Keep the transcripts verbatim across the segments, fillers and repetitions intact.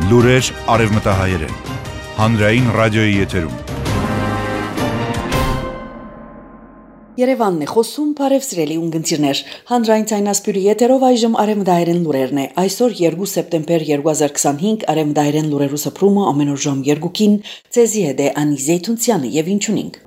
Լուրեր արևմտահայերեն, հանրային ռադիոյի եթերում։ Երևանն է խոսում, բարև սիրելի ունգընտիրներ, հանրային ցայնասպյուրի եթերով այժմ արևմտահայերեն լուրերն է, այսօր երկու սեպտեմբեր երկու հազար քսանհինգ արևմտահայերեն լուրերու սփռումը ամեն օր ժամ երկուքին, ցեզի հետ է Անի Զեյթունցյանը եւ ինչունինք։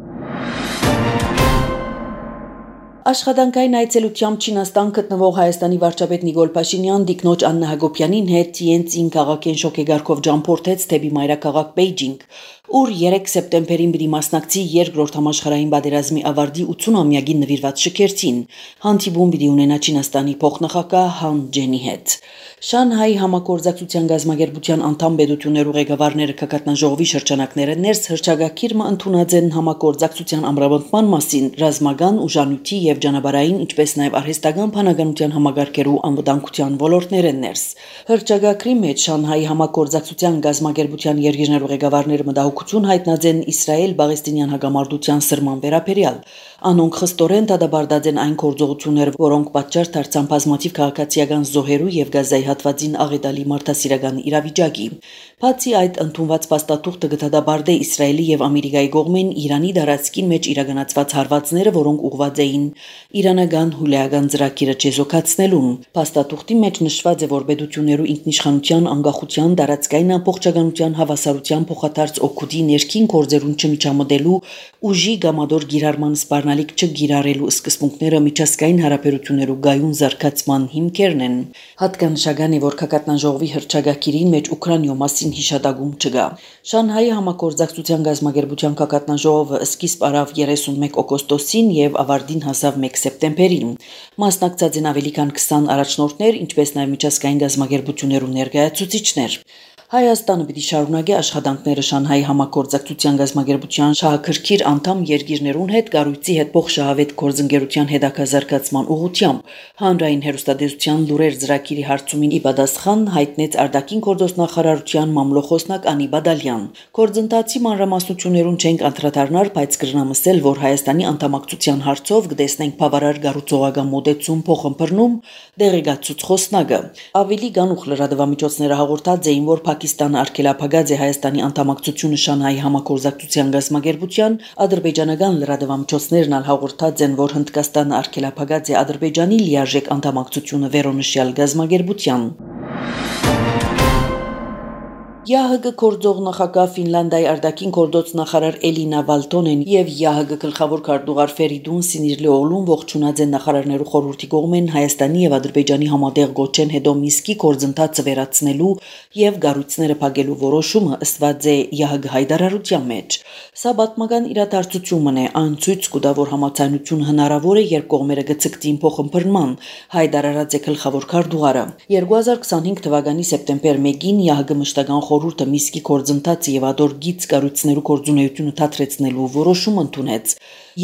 Աշխատանքային այցելությամբ Չինաստան գտնվող Հայաստանի վարչապետ Նիկոլ Փաշինյան դիկնոջ Աննա Հակոբյանին հետ Տիենցին քաղաքեն շոկեգարքով ճամփորդեց դեպի մայրաքաղաք Բեյջինգ, ուր երեք սեպտեմբերին պիտի մասնակցի երկրորդ համաշխարհային պատերազմի ավարտի ութսուն-ամյակին նվիրված շքերթին, հանդիպում պիտի ունենա Չինաստանի փոխնախագահ Han Zheng-ի հետ։ Շանհայի համագործակցության գազագերբության անդամ պետություններու ղեկավարները կկատնաժողովի շրջանակները ներս հրճագակիրը ընդունած են համագործակցության ամրապնդման մասին ռազմական ուժանույթի եւ ճանապարհային ինչպես նաեւ արհեստական բանականության համագարկերու անվտանգության ոլորտներեն ներս հրճագակրի մեջ Շանհայի համագործակցության գազագերբության երկիրներու ղեկավարները մտահոգություն հայտնած են Իսրայել-Պաղեստինյան հակամարտության սրման վերաբերյալ անոնք խստորեն դադարեցած են այն գործողությունները, որոնք պատճառ դարձան բազմաթիվ քաղաքացիական զոհերու եւ գազայի հատվածին աղետալի մարդասիրական իրավիճակի։ Բացի այդ, ընդունված փաստաթուղթը կդադարեցի Իսրայելի եւ Ամերիկայի կողմեն Իրանի դարածքին մեջ իրականացված հարվածները, որոնք ուղղված էին իրանական հուլիագան ծրագիրը չեզոքացնելուն։ Փաստաթուղթի մեջ նշված է, որ պետություններու ինքնիշխանության, անկախության, տարածքային ամբողջականության, հավասարության փոխադարձ օգուտի ներքին գործերուն չմիջամտելու ուժի գամադոր գիրառման սպառնալիք չգիրառելու սկզբունքները միջազգային հարաբերություններու գայուն զարգացման հիմքերն են։ Հատկանշական է, որ կկատնաժողովի հրճագակիրին մեջ Ուկրաինայու մասին հիշատակում չկա։ Շանհայի համագործակցության գազագերբության կկատնաժողովը սկիզբ արավ երեսունմեկ օգոստոսին եւ ավարտին հասավ մեկ սեպտեմբերին։ Մասնակցած են ավելի քան քսան առաջնորդներ, ինչպես նաեւ միջազգային գազագերբություններու ներկայացուցիչներ։ Հայաստանը պիտի շարունակի աշխատանքները Շանհայի համագործակցության գազագերբության շահագրգիռ անդամ երկիրներուն հետ կառույցի հետ փոխշահավետ գործընկերության հետաքազարգացման ուղղությամբ հանրային հեռուստատեսության լուրեր ծրագիրի հարցումին ի պատասխան հայտնեց արտաքին գործոս նախարարության մամլոխոսնակ Անի Բադալյան։ Գործընթացի մանրամասնություններուն չենք անդրադառնալ, բայց կրնամսել, որ Հայաստանի անդամակցության հարցով կտեսնենք բավարար գառուցողական մոդեցում փոխըմբռնում դեղեկացուց խոսնակը։ Ավելի գանուխ լրատվամիջոցները հաղորդած էին, որ Պակիստանը արգելափակած է Հայաստանի անդամակցությունը Շանհայի համագործակցության գազագերբության, ադրբեջանական լրատվամիջոցներն ալ հաղորդած են, որ Հնդկաստանը արգելափակած է Ադրբեջանի լիարժեք անդամակցությունը վերոնշյալ գազագերբության։ ԵԱՀԿ գործող նախագահ Ֆինլանդիայի արտաքին գործոց նախարար Էլինա Վալտոնեն եւ ԵԱՀԿ գլխավոր քարտուղար Ֆերիդուն Սինիրլիօղլուն ողջունած են նախարարներու խորհրդի կողմեն Հայաստանի եւ Ադրբեջանի համատեղ գոչեն հետո Միսկի գործընթացը վերացնելու եւ գառույցները փակելու որոշումը ըստված է ԵԱՀԿ հայտարարության մեջ։ Սա պատմական իրադարձություն է, այն ցույց կտա, որ համաձայնություն հնարավոր է, երբ կողմերը գծկտին փոխըմբռնման, հայտարարած է գլխավոր քարտուղարը։ երկու հազար քսանհինգ թվականի սեպտեմբեր մեկին ԵԱՀԿ մշտական խորհուրդը Միսկի գործընթացը եւ ադոր գիծ կառույցներու գործունեությունը դադրեցնելու որոշում ընդունեց։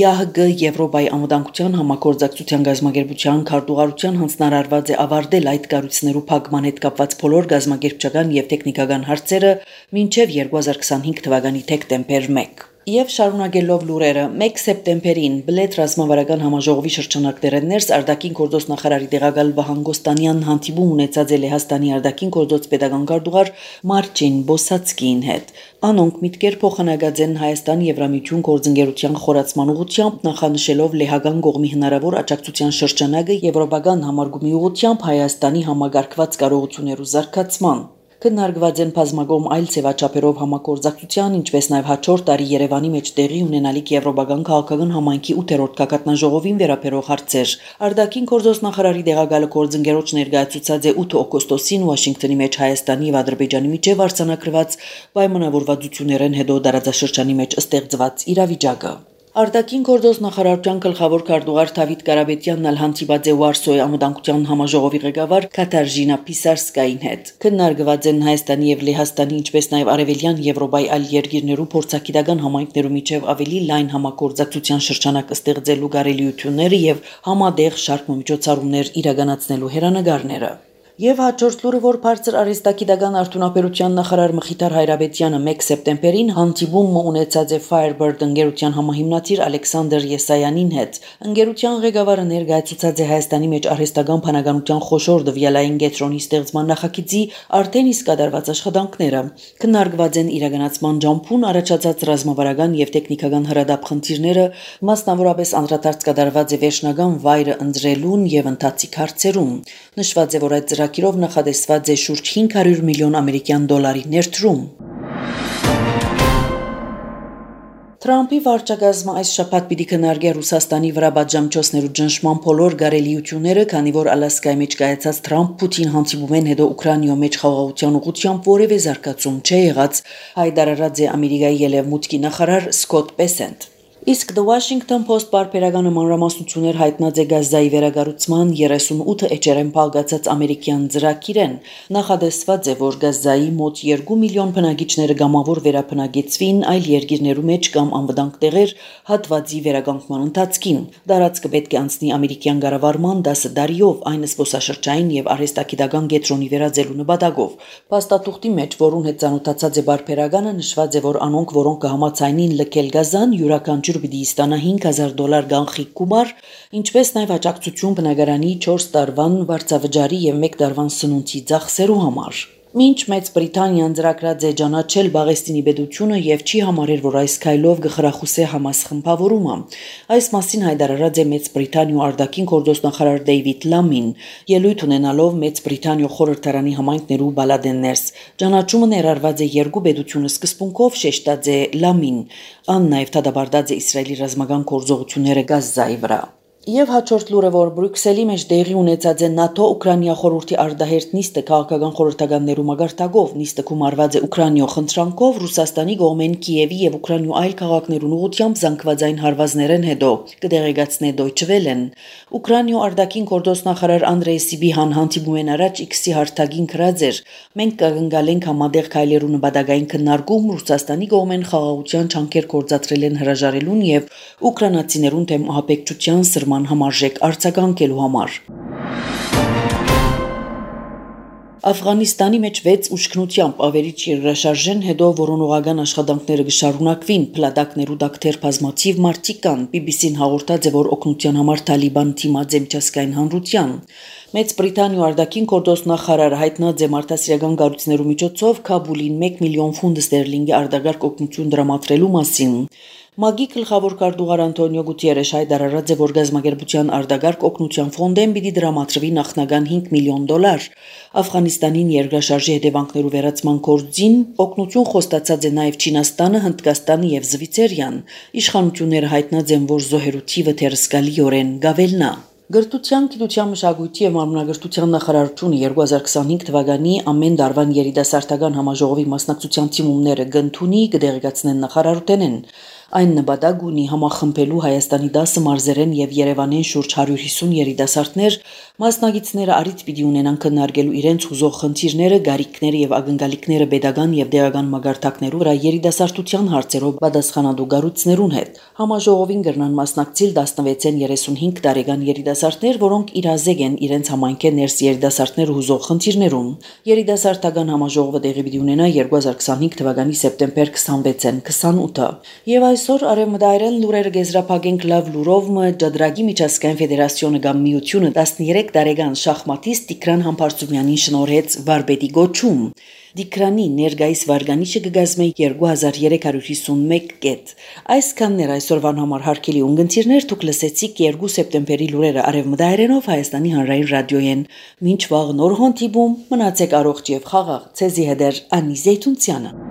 ԵԱՀԿ Եվրոպայի անվտանգության համագործակցության գազագերբության քարտուղարության հանձնարարված է ավարտել այդ կառույցներու փակման հետ կապված բոլոր գազագերբչական եւ տեխնիկական հարցերը մինչեւ երկու հազար քսանհինգ թվականի դեկտեմբեր մեկ։ Եվ շարունակելով լուրերը, մեկ սեպտեմբերին Բլեդ ռազմավարական համաժողովի շրջանակները ներս արտաքին գործոս նախարարի տեղակալ Վահան Գոստանյան հանդիպում ունեցած է Լեհաստանի արտաքին գործոս պետական քարտուղար Մարչին Բոսացկին հետ։ Անոնք միտքեր փոխանակած են Հայաստան-Եվրամիություն գործընկերության խորացման ուղղությամբ, նախանշելով լեհական կողմի հնարավոր աջակցության շրջանակը եվրոպական համարգումի ուղղությամբ Հայաստանի համագարկված կարողություններու զարգացման։ Քննարկված են բազմագոմ այլ ձևաչափերով համագործակցության, ինչպես նաև հաջորդ տարի Երևանի մեջ տեղի ունենալիք եվրոպական քաղաքական համայնքի ութերորդ գագաթնաժողովին վերաբերող հարցեր։ Արտաքին գործոս նախարարի տեղակալը գործընկերոջ ներկայացուցած է ութ օգոստոսին Վաշինգտոնի մեջ Հայաստանի եւ Ադրբեջանի միջև արձանագրված պայմանավորվածություններն հետո դարաձաշրջանի մեջ ստեղծված իրավիճակը։ Արտաքին գործոս նախարարության գլխավոր քարտուղար Դավիթ Կարապետյանն ալ հանդիպած է Վարսոյի անվտանգության համաժողովի ղեկավար Կաթարժինա Պիսարսկային հետ։ Քննարկված են Հայաստանի եւ Լեհաստանի, ինչպես նաեւ Արևելյան Եվրոպայի այլ երկիրներու փորձագիտական համայնքներու միջև ավելի լայն համագործակցության շրջանակ ստեղծելու կարելիությունները եւ համատեղ շարք միջոցառումներ իրականացնելու հերանեկարները։ Եվ հաջորդ լուրը, որ բարձր արհեստագիտական արդյունաբերության նախարար Մխիթար Հայրաբեդյանը մեկ սեպտեմբերին հանդիպում ունեցած է Firebird ընկերության համահիմնադիր Ալեքսանդր Եսայանին հետ։ Ընկերության ղեկավարը ներկայացուցած է Հայաստանի մեջ արհեստական բանականության խոշոր դվյալային կենտրոնի ստեղծման նախագծի արդեն իսկ կատարված աշխատանքները։ Քննարկված են իրականացման ջամփուն առաջացած ռազմավարական եւ տեխնիկական հրադապ խնդիրները, մասնավորապես անդրադարձ կատարված է վերջնական վայրը ընտրելուն եւ ընթացիկ հարցերում։ Նշված է, որ այդ ծրագիրով նախատեսված է շուրջ հինգ հարյուր միլիոն ամերիկյան դոլարի ներդրում։ Թրամփի վարչակազմը այս շաբաթ պիտի քննարկի Ռուսաստանի վրա պատժամիջոցներու ճնշման բոլոր գարելիությունները, քանի որ Ալասկայի մեջ կայացած Թրամփ-Պուտին հանդիպումեն հետո Ուկրաինայի մեջ խաղաղության ուղղությամբ որևէ զարգացում չի եղած, հայտարարած է Ամերիկայի ելևմուտքի նախարար Սկոտ Բեսենտ։ Իսկ The Washington Post բարբերականը մանրամասնություններ հայտնած է Գազայի վերագառուցման երեսունութ էջերեն փակացած ամերիկյան ծրագիրեն։ Նախադեсված է, որ Գազայի մոտ երկու միլիոն բնակիչները գամավոր վերաբնակեցվին այլ երկիրներու մեջ կամ անվտանգ տեղեր հատվածի վերականգնման ընթացքին։ Դարածքը պետք է անցնի ամերիկյան կառավարման դասը դարիով, այն զբոսաշրջային եւ արհեստագիտական կենտրոնի վերածելու նպատակով։ Փաստաթուղթի մեջ, որուն հետ ծանոթացած է բարբերականը, նշված է, որ անոնք, որոնք կհամաձայնին լքել Գազան, յուրաքանչյուր պիտի ստանա հինգ հազար դոլար գանխիկ գումար, ինչպես նաև աջակցություն բնակարանի չորս տարվան վարձավճարի եւ մեկ տարվան սնունդի ծախսերու համար։ Մինչ Մեծ Բրիտանիան ծրագրած է ճանաչել Բաղեստինի պետությունը եւ չի համարել, որ այս քայլով կխրախուսի Համաս խմբավորումը։ Այս մասին հայտարարած է Մեծ Բրիտանիու արտաքին գործոստնախարար Դեյվիդ Լամին, ելույթ ունենալով Մեծ Բրիտանիու խորհրդարանի համայնքներու բալադեններս։ Ճանաչումը ներառված է երկու պետությունը սկզբունքով, շեշտած է Լամին, ան նաև դադարեցած է Իսրայելի ռազմական գործողությունները Գազայի վրա։ Եվ հաջորդ լուրը, որ Բրյուսելի մեջ տեղի ունեցած է ՆԱՏՕ Ուկրաինա խորհրդի արտահերթ նիստը քաղաքական խորհրդականներու մագարտակով, նիստը կումարված է Ուկրաինայ խնդրանքով Ռուսաստանի կողմեն Կիևի եւ Ուկրաինու այլ քաղաքներուն ուղղությամբ զանգվածային հարվածներեն հետո, կդեղեկացնե Deutsche Welle-ն։ Ուկրաինայ արտաքին գործոստնախարար Անդրեյ Սիբիհան հանդիպումեն առաջ X-ի հարթակին գրած էր. «Մենք կգնգալենք համատեղ քայլերու նպատակային քննարկում Ռուսաստանի կողմեն խաղաղության չանքեր գործադրել են հրաժարելուն եւ ուկրաինացիներուն դեմ ահաբեկչության սրման համարժեք արձագանքելու համար»։ Աֆղանիստանի մեջ վեց ուշքնությամբ ավերիչ երկրաշարժեն հետո որոնողական աշխատանքները կշարունակվին, փլատակներու դակտեր բազմաթիվ մարդիկ կան։ բի բի սին հաղորդած է, որ օգնության համար Թալիբան թիմած է միջազգային հանրության։ Մեծ Բրիտանիու արտաքին գործոստնախարարը հայտնած է մարդասիրական կառույցներու միջոցով Քաբուլին մեկ միլիոն ֆունտ ստերլինգի արտակարգ օգնություն դրամատրելու մասին։ ՄԱԳ-ի գլխավոր քարտուղար Անտոնիո Գուտիերեշ հայտարարած է, որ գազམ་ագերբության արտակարգ օգնության ֆոնդեն պիտի դրամատրվի նախնական հինգ միլիոն դոլար։ Աֆղանիստանին երկրաշարժի հետևանքներու վերացման գործին օգնություն խոստացած է նաև Չինաստանը, Հնդկաստանը եւ Զվիցերիան։ Իշխանությունները հայտնած են, որ զոհերու թիվը թերսկալիորեն գավելնա։ Գրթության, գիտության, մշակույթի եւ մարմնագրթության նախարարությունը երկու հազար քսանհինգ թվականի ամեն դարվան երիտասարդական համաժողովի մասնակցության թիմումները կընդունի, կդեղեկացնեն նախարարութենեն։ Այն նպատակ ունի համախմբելու Հայաստանի դասը մարզերեն եւ Երևանեն շուրջ հարյուր հիսուն երիտասարդներ, մասնագետները արիթ պիտի ունենան քննարկելու իրենց ուզող խնդիրները, գարիքները եւ ակնկալիքները pedagogan եւ դեղական մագարտակներու վրա երիտասարդության հարցերով պատասխանատու գառույցներուն հետ։ Համաժողովին կրնան մասնակցել տասնվեցեն երեսունհինգ տարեկան երիտասարդներ, որոնք իրազեկ են իրենց համայնքե ներս երիտասարդներ ուզող խնդիրներուն։ Երիտասարդական համաժողովը տեղի պիտի ունենա երկու հազար քսանհինգ թվականի սեպտեմբեր քսանվեցեն քսանութը։ Եվ այսօր արևմտայրեն լուրերը գեզրափակենք լավ լուրով մը Ջադրագի միջազգային ֆեդերացիոնը կամ միությունը տասներեք տարեկան շախմատիստ Տիգրան Համբարձումյանին շնորհեց վարպետի գոչում։ Դիկրանի ներգայիս վարգանիշը կգազմե երկու հազար երեք հարյուր հիսունմեկ կետ։ Այսքաններ այսօրվան համար հարգելի ունգընտիրներ, դուք լսեցիք երկու սեպտեմբերի լուրերը արևմտայրենով Հայաստանի հանրային ռադիոյեն։ Մինչ վաղ նոր հանդիպում, մնացեք առողջ եւ խաղաղ։ Ցեզի հետ Անի Զեյթունցյանը։